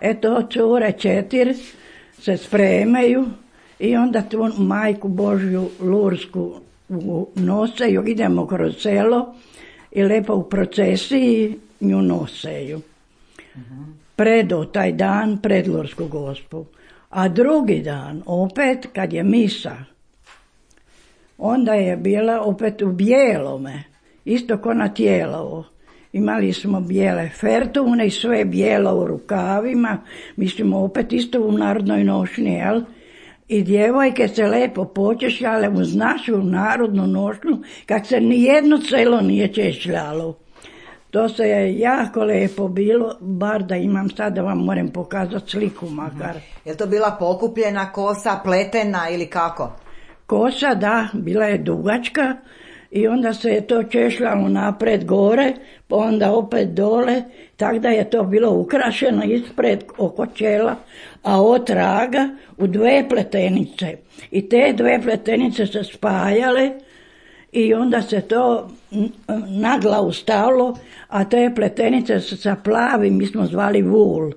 Eto, cure 4 se spremaju i onda tu majku Božju Lurdsku
u Noseju, idemo kroz selo i lepo u procesiji nju noseju. Predo taj dan predlorsku gospu. A drugi dan, opet kad je misa, onda je bila opet u bijelome, isto ko na Tijelavu. Imali smo bijele fertune i sve bijelo u rukavima, mislimo opet isto u narodnoj nošnji, jel? I djevojke se lepo počešljale uz našu narodnu nošnju, kak se nijedno selo nije češljalo. To se je jako lepo bilo, bar da imam sad da vam moram pokazati sliku makar.
Je li to bila pokupljena kosa, pletena ili kako?
Kosa, da, bila je dugačka i onda se je to češljalo napred gore, pa onda opet dole, tako da je to bilo ukrašeno ispred oko čela, a od traga u 2 pletenice. I te 2 pletenice se spajale i onda se to na glavu stavilo, a te pletenice se sa plavim, mi smo zvali vul,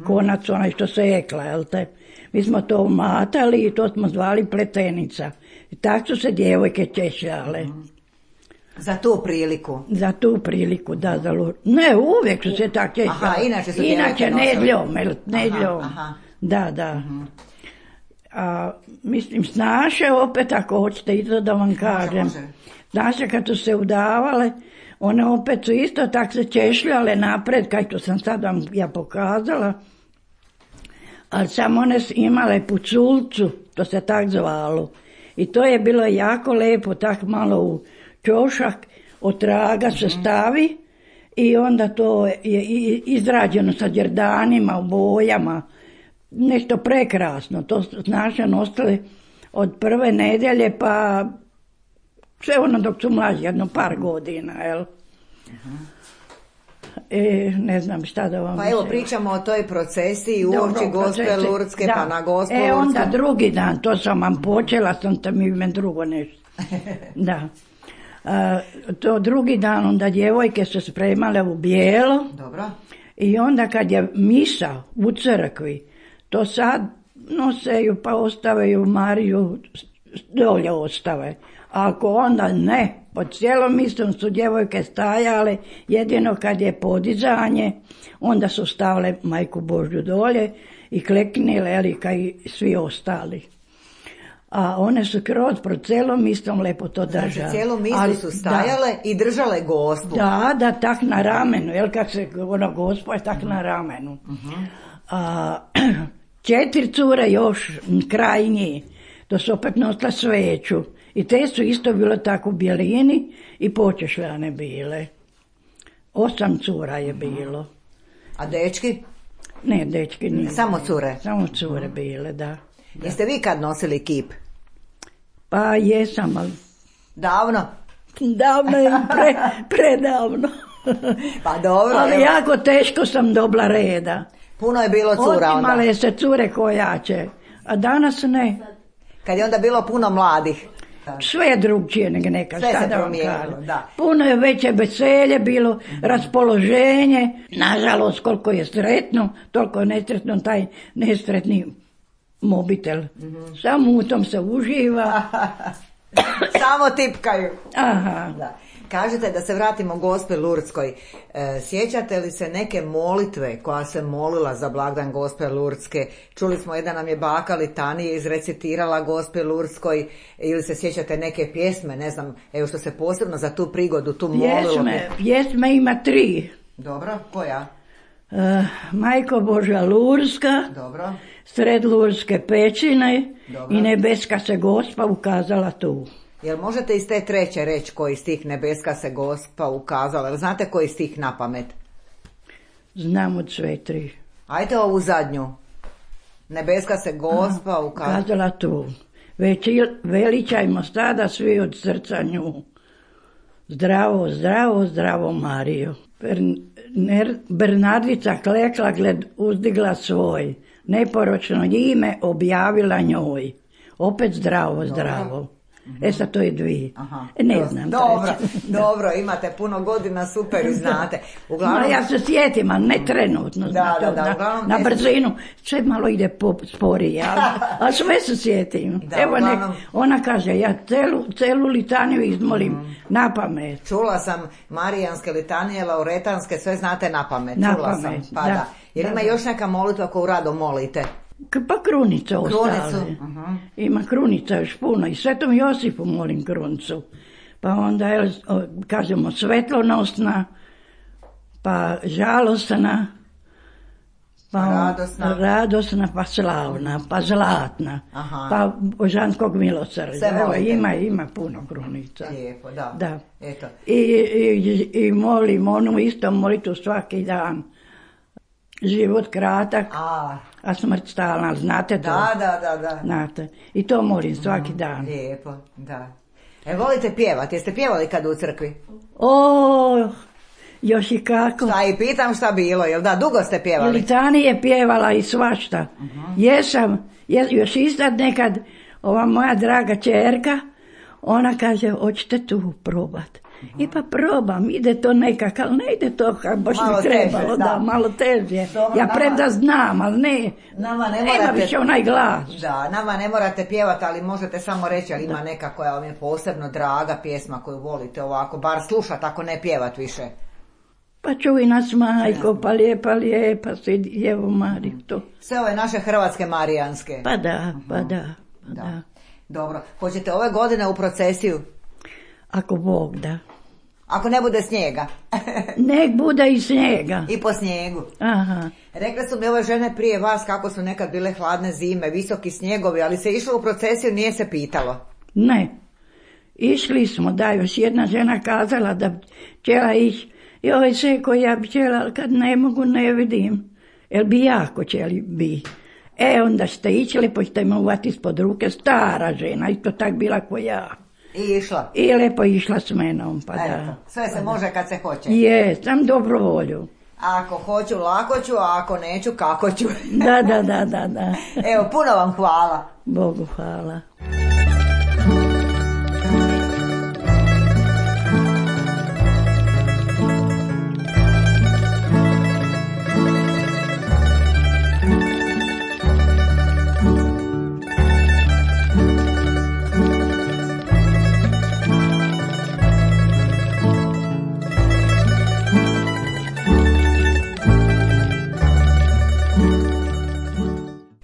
konac onaj što se ekla, jel te? Mi smo to matali i to smo zvali pletenica. I tako su se djevojke češljale.
Za tu priliku?
Za tu priliku, da. Ne, uvijek su se tako češljale.
Aha, inače su djevojke nosile.
Nedljom. Da. A, mislim, s naše opet, ako hoćete i to da vam kažem. Naše kad su se udavale, one opet su isto tako se češljale napred, kako sam sad vam ja pokazala. Ali samo one su imale puculcu, to se tak zvalo. I to je bilo jako lepo, tak malo u čošak, od traga se stavi i onda to je izrađeno sa đerdanima, u bojama. Nešto prekrasno, to su naše nosile od prve nedjelje pa sve ono dok su mlađi, jedno par godina, jel? Ne znam šta da vam...
Pa evo pričamo o toj procesiji uoči Gospe Lurdske, pa na Gospu Lurdsku.
Onda drugi dan, to sam vam počela, sam tam ime drugo nešto. Da. To drugi dan, onda djevojke se spremale u bijelo.
Dobro.
I onda kad je misa u crkvi, to sad noseju pa ostavaju Mariju, dolje ostave. Ako onda ne, pod cijelom mistom su djevojke stajale, jedino kad je podizanje, onda su stavile Majku Božju dolje i kleknile, ali kao i svi ostali. A one su kroz pod cijelom mistom lepo to držale.
Znači cijelu mistu su stajale i držale Gospu.
Da, tak na ramenu, jel kak se ona Gospa je tak na ramenu. 4 cure još kraj njih, to su opet nosila sveću. I te su isto bile tako u bijelini i počešljane bile. 8 cura je bilo.
A dečki?
Ne, dečki nije.
Samo cure?
Samo cure bile, da.
Jeste vi kad nosili kip?
Pa jesam, ali...
Davno?
Davno je, predavno.
Pa dobro.
Ali jako teško sam dobila reda.
Puno je bilo cura onda?
Otimale se cure kojače, a danas ne.
Kad je onda bilo puno mladih?
Sve je drugčije nego nekad.
Sve se promijenilo, da.
Puno je veće veselje bilo, raspoloženje. Nažalost, koliko je sretno, toliko je nesretno taj nesretni mobitel. Samo u tom se uživa.
Samo tipkaju.
Aha.
Da. Kažete da se vratimo Gospe Lurdskoj. Sjećate li se neke molitve koja se molila za blagdan Gospe Lurdske? Čuli smo jedan nam je baka litanije izrecitirala Gospe Lurdskoj, ili se sjećate neke pjesme, ne znam, evo što se posebno za tu prigodu tu molilo?
Pjesme ima 3.
Dobro, koja?
Majko Božja Lurdska,
dobro.
Sred Lurdske pećine, dobro. I Nebeska se Gospa ukazala tu.
Jel možete iz te treće reći koji stih Nebeska se Gospa ukazala? Jel znate koji stih na pamet?
Znam od sve 3.
Ajde ovu zadnju. Nebeska se Gospa
ukazala tu. Veličajmo sada svi od srca nju. Zdravo, zdravo, zdravo Marijo. Bernardica klekla gled uzdigla svoj. Neporočno ime objavila njoj. Opet zdravo, zdravo. Sad to je 2.
Aha.
Ne znam.
Dobro, imate puno godina, super i znate. Uglavnom...
Ja se sjetim, ali ne trenutno.
Uglavnom,
na brzinu. Sve malo ide sporije, ali sve se sjetim. Evo uglavnom... ona kaže, ja celu litaniju izmolim na pamet.
Čula sam marijanske litanije, lauretanske, sve znate na pamet. Čula sam. Pa da. Jer ima još neka molitva koju rado molite?
Pa krunice ostale. Ima krunica još puno i Svetom Josipu molim krunicu. Pa onda kažemo svetlonosna, pa žalosna, pa radosna, pa slavna, pa zlatna, pa božanskog milosrđa. Ima puno krunica.
Lijepo, da. Eto.
I molim onu isto molitvu svaki dan. Život kratak, a smrt stalna, znate to?
Da.
Znate. I to molim svaki dan.
Lijepo, da. Volite pjevati? Jeste pjevali kad u crkvi?
Još i kako.
Šta i pitam šta bilo, jel da? Dugo ste pjevali?
Litanije pjevala i svašta. Jesam, još i sad nekad, ova moja draga čerka, ona kaže, hoćete tu probat. I pa probam, ide to nekak, ali ne ide to kako baš mi trebalo, malo teže. Ja premda znam, ali ne, nema više onaj glas.
Da, nama ne morate pjevati, ali možete samo reći, ali ima neka koja vam je posebno draga pjesma koju volite ovako, bar slušat ako ne pjevat više.
Pa čuj nas majko, pa lijepa si Djevo Mariju to.
Sve ove naše hrvatske marijanske.
Pa da.
Dobro, hoćete ove godine u procesiju?
Ako Bog da.
Ako ne bude snijega.
Nek bude i snijega.
I po snijegu.
Aha.
Rekle su mi ove žene prije vas kako su nekad bile hladne zime, visoki snjegovi, ali se išlo u procesiju, nije se pitalo.
Ne. Išli smo, da, još jedna žena kazala da htjela ići. Joj, seko, ja bi htjela, ali kad ne mogu, ne vidim. Jel bi jako htjeli bi. Onda ste išli, pa ćete me uvati ispod ruke, stara žena, isto tak bila ko ja.
I išla?
I lepo išla s menom, pa
da. Sve se može kad se hoće.
Je, sam dobro volju.
Ako hoću, lako ću, a ako neću, kako ću.
Da.
Evo, puno vam hvala.
Bogu hvala.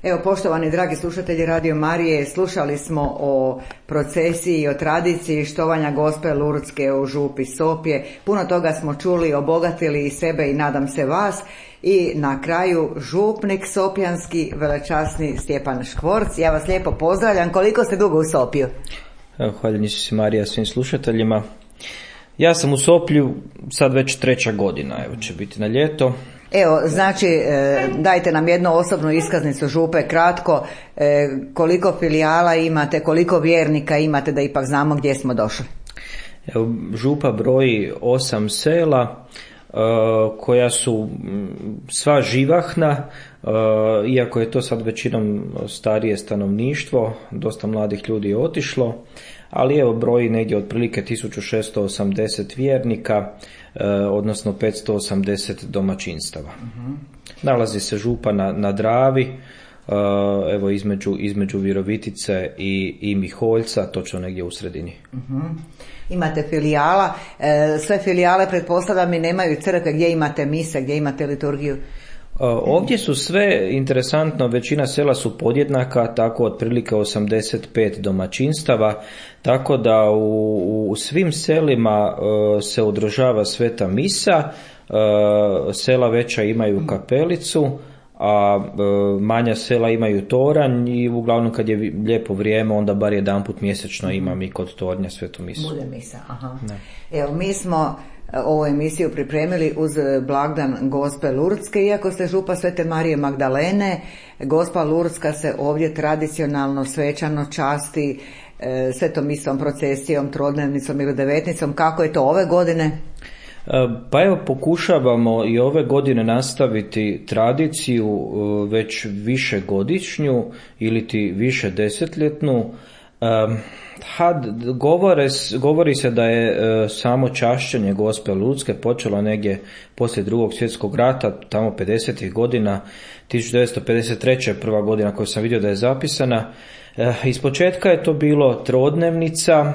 Evo, poštovani dragi slušatelji Radio Marije, slušali smo o procesiji i o tradiciji štovanja Gospe Lurdske u župi Sopje. Puno toga smo čuli, obogatili i sebe i nadam se vas. I na kraju župnik sopjanski, velečasni Stjepan Škvorc. Ja vas lijepo pozdravljam. Koliko ste dugo u Sopju?
Hvala Isus Marija svim slušateljima. Ja sam u Soplju sad već 3. godina, evo će biti na ljeto.
Evo, znači, dajte nam jednu osobnu iskaznicu župe, kratko, koliko filijala imate, koliko vjernika imate, da ipak znamo gdje smo došli.
Evo, župa broji 8 sela, koja su sva živahna, iako je to sad većinom starije stanovništvo, dosta mladih ljudi je otišlo, ali evo broji negdje otprilike 1680 vjernika, odnosno 580 domaćinstava. Nalazi se župa na Dravi, evo između Virovitice i Miholjca, točno negdje u sredini.
Imate filijala, sve filijale pretpostavljam i nemaju crkve, gdje imate mise, gdje imate liturgiju?
Ovdje su sve, interesantno, većina sela su podjednaka, tako otprilike 85 domaćinstava, tako da u svim selima se održava sveta misa, sela veća imaju kapelicu, a manja sela imaju toranj i uglavnom kad je lijepo vrijeme onda bar jedanput mjesečno imam i kod tornja svetu misu.
Bude misa, aha. Evo, mi smo ovu emisiju pripremili uz blagdan Gospe Lurdske, iako ste župa Svete Marije Magdalene, Gospa Lurdska se ovdje tradicionalno svečano časti svetom misom, procesijom, trodnevnicom ili devetnicom. Kako je to ove godine?
Pa evo, pokušavamo i ove godine nastaviti tradiciju već višegodišnju ili ti više desetljetnu. Govori se da je samo čašćenje Gospe Lurdske počelo negdje poslije Drugog svjetskog rata, tamo 50. godina, 1953. je prva godina koju sam vidio da je zapisana. Ispočetka je to bilo trodnevnica,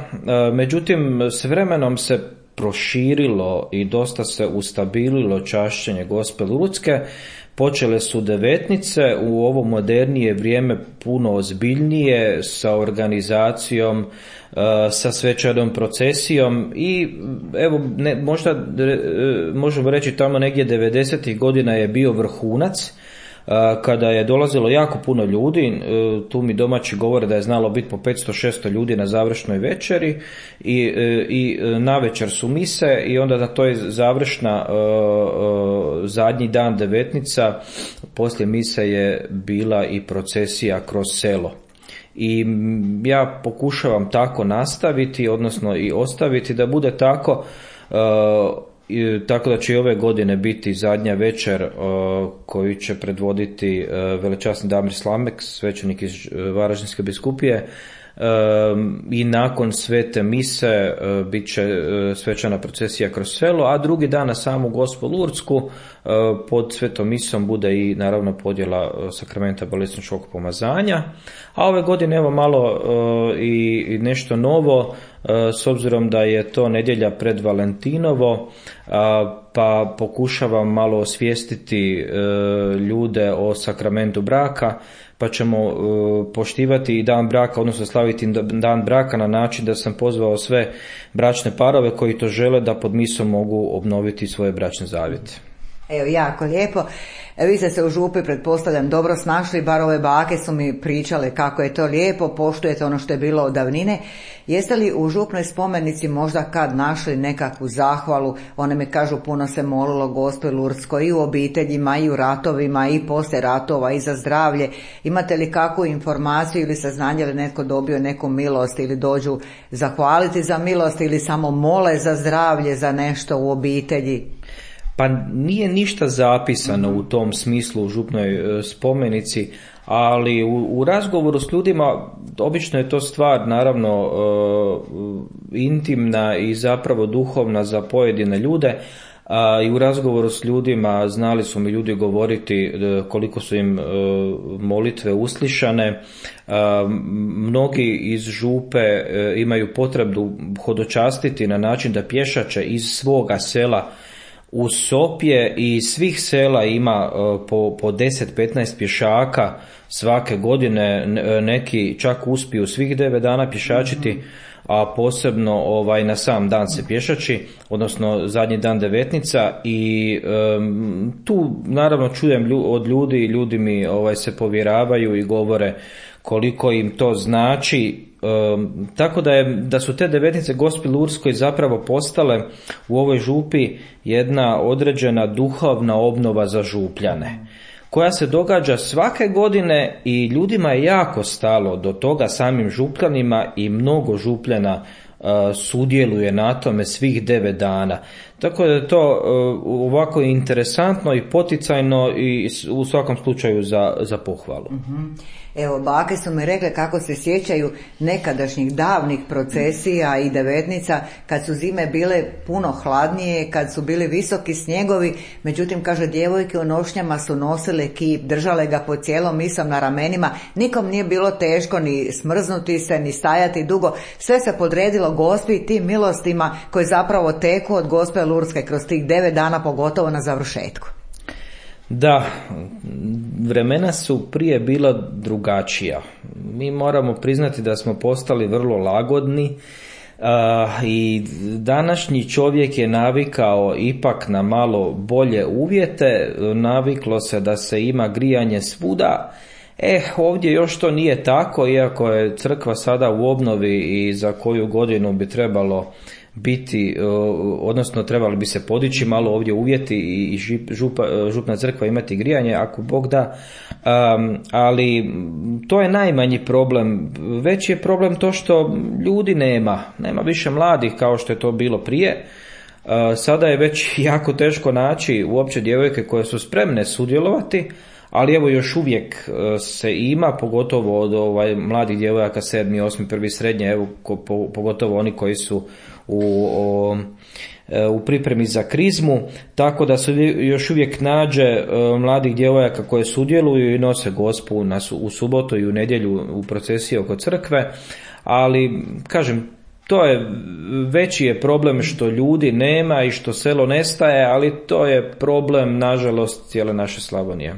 međutim s vremenom se proširilo i dosta se ustabililo čašćenje Gospe Lurdske. Počele su devetnice, u ovo modernije vrijeme puno ozbiljnije, sa organizacijom, sa svečanom procesijom i evo, možda možemo reći tamo negdje 90. godina je bio vrhunac, kada je dolazilo jako puno ljudi. Tu mi domaći govore da je znalo biti po 500-600 ljudi na završnoj večeri i navečer su mise i onda na toj završna zadnji dan devetnica, poslije mise je bila i procesija kroz selo. I ja pokušavam tako nastaviti, odnosno i ostaviti da bude tako, tako da će i ove godine biti zadnja večer koju će predvoditi velečasni Damir Slamek, svećenik iz Varaždinske biskupije, i nakon svete mise bit će svečana procesija kroz selo, a drugi dan na samu Gospu Lurdsku pod svetom misom bude i naravno podjela sakramenta bolesničkog pomazanja. A ove godine evo malo i nešto novo, s obzirom da je to nedjelja pred Valentinovo, pa pokušavam malo osvijestiti ljude o sakramentu braka, pa ćemo poštivati i dan braka, odnosno slaviti dan braka na način da sam pozvao sve bračne parove koji to žele da pod misom mogu obnoviti svoje bračne zavjete.
Evo, jako lijepo. Vi ste se u župi, pretpostavljam, dobro snašli, bar ove bake su mi pričale kako je to lijepo, poštujete ono što je bilo od davnine. Jeste li u župnoj spomenici možda kad našli nekakvu zahvalu? One mi kažu puno se molilo Gospi Lurdskoj i u obiteljima i u ratovima i poslije ratova i za zdravlje. Imate li kakvu informaciju ili saznanje li netko dobio neku milost ili dođu zahvaliti za milost ili samo mole za zdravlje, za nešto u obitelji?
Pa nije ništa zapisano u tom smislu u župnoj spomenici, ali u razgovoru s ljudima obično je to stvar naravno intimna i zapravo duhovna za pojedine ljude, i u razgovoru s ljudima znali su mi ljudi govoriti koliko su im molitve uslišane. Mnogi iz župe imaju potrebu hodočastiti na način da pješače iz svoga sela u Sopje i svih sela ima po 10-15 pješaka svake godine, neki čak uspiju svih 9 dana pješačiti, a posebno na sam dan se pješači, odnosno zadnji dan devetnica, i tu naravno čujem od ljudi i ljudi mi se povjeravaju i govore koliko im to znači. Tako da su te devetnice Gospi Lurdskoj zapravo postale u ovoj župi jedna određena duhovna obnova za župljane, koja se događa svake godine i ljudima je jako stalo do toga, samim župljanima, i mnogo župljana sudjeluje na tome svih 9 dana. Tako da je to ovako interesantno i poticajno i u svakom slučaju za pohvalu.
Evo, bake su mi rekle kako se sjećaju nekadašnjih davnih procesija i devetnica, kad su zime bile puno hladnije, kad su bili visoki snjegovi, međutim, kaže, djevojke u nošnjama su nosile kip, držale ga pod cijelom misom na ramenima, nikom nije bilo teško ni smrznuti se, ni stajati dugo, sve se podredilo Gospi i tim milostima koji zapravo teku od Gospe Lurdske kroz tih 9 dana, pogotovo na završetku.
Da, vremena su prije bila drugačija. Mi moramo priznati da smo postali vrlo lagodni i današnji čovjek je navikao ipak na malo bolje uvjete, naviklo se da se ima grijanje svuda. Ovdje još to nije tako, iako je crkva sada u obnovi i za koju godinu bi trebalo biti, odnosno trebali bi se podići malo ovdje uvjeti i župna crkva imati grijanje, ako Bog da, ali to je najmanji problem. Veći je problem to što ljudi nema više mladih kao što je to bilo prije. Sada je već jako teško naći uopće djevojke koje su spremne sudjelovati, ali evo još uvijek se ima, pogotovo od mladih djevojaka 7., 8., 1. srednje, evo pogotovo oni koji su u pripremi za krizmu, tako da se još uvijek nađe mladih djevojaka koje sudjeluju i nose Gospu u subotu i u nedjelju u procesiji oko crkve, ali kažem, to je veći je problem što ljudi nema i što selo nestaje, ali to je problem nažalost cijele naše Slavonije.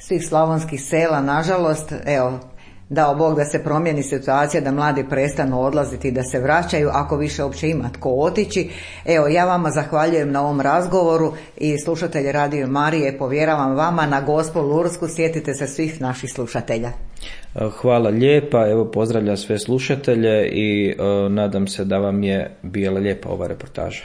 Svih slavonskih sela, nažalost, evo, dao Bog da se promijeni situacija, da mladi prestanu odlaziti i da se vraćaju, ako više uopće ima tko otići. Evo, ja vama zahvaljujem na ovom razgovoru i slušatelji Radio Marije, povjeravam vama na Gospu Lurdsku, sjetite se svih naših slušatelja.
Hvala lijepa, evo pozdravljam sve slušatelje i nadam se da vam je bila lijepa ova reportaža.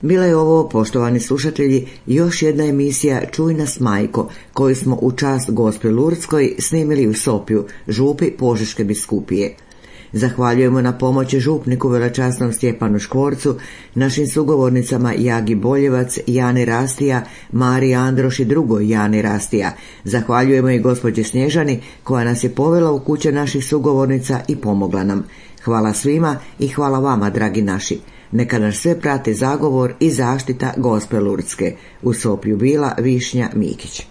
Bila je ovo, poštovani slušatelji, još jedna emisija Čuj nas majko, koju smo u čast Gospi Lurdskoj snimili u Sopju, župi Požeške biskupije. Zahvaljujemo na pomoći župniku velečasnom Stjepanu Škvorcu, našim sugovornicama Jagi Boljevac, Jani Rastija, Mariji Androš i drugoj Jani Rastija. Zahvaljujemo i gospođi Snježani koja nas je povela u kuće naših sugovornica i pomogla nam. Hvala svima i hvala vama, dragi naši. Neka nas sve prate zagovor i zaštita Gospe Lurdske. U Sopju bila Višnja Mikić.